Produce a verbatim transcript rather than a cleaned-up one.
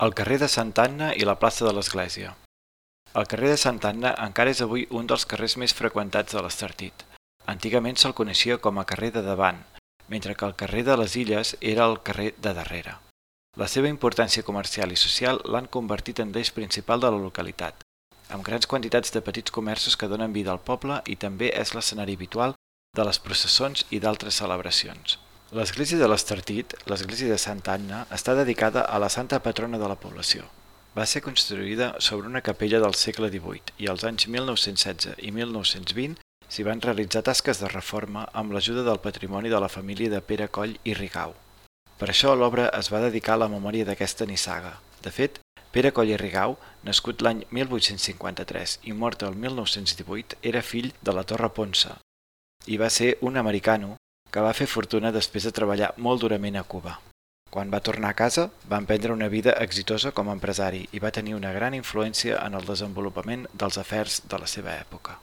El carrer de Santa Anna i la plaça de l'Església. El carrer de Santa Anna encara és avui un dels carrers més freqüentats de l'Estartit. Antigament se'l coneixia com a carrer de davant, mentre que el carrer de les Illes era el carrer de darrere. La seva importància comercial i social l'han convertit en l'eix principal de la localitat, amb grans quantitats de petits comerços que donen vida al poble i també és l'escenari habitual de les processons i d'altres celebracions. L'església de l'Estartit, l'església de Santa Anna, està dedicada a la santa patrona de la població. Va ser construïda sobre una capella del segle divuit i als anys mil nou-cents setze i mil nou-cents vint s'hi van realitzar tasques de reforma amb l'ajuda del patrimoni de la família de Pere Coll i Rigau. Per això l'obra es va dedicar a la memòria d'aquesta nissaga. De fet, Pere Coll i Rigau, nascut l'any mil vuit-cents cinquanta-tres i mort el mil nou-cents divuit, era fill de la Torre Ponsa i va ser un americano que va fer fortuna després de treballar molt durament a Cuba. Quan va tornar a casa, va emprendre una vida exitosa com a empresari i va tenir una gran influència en el desenvolupament dels afers de la seva època.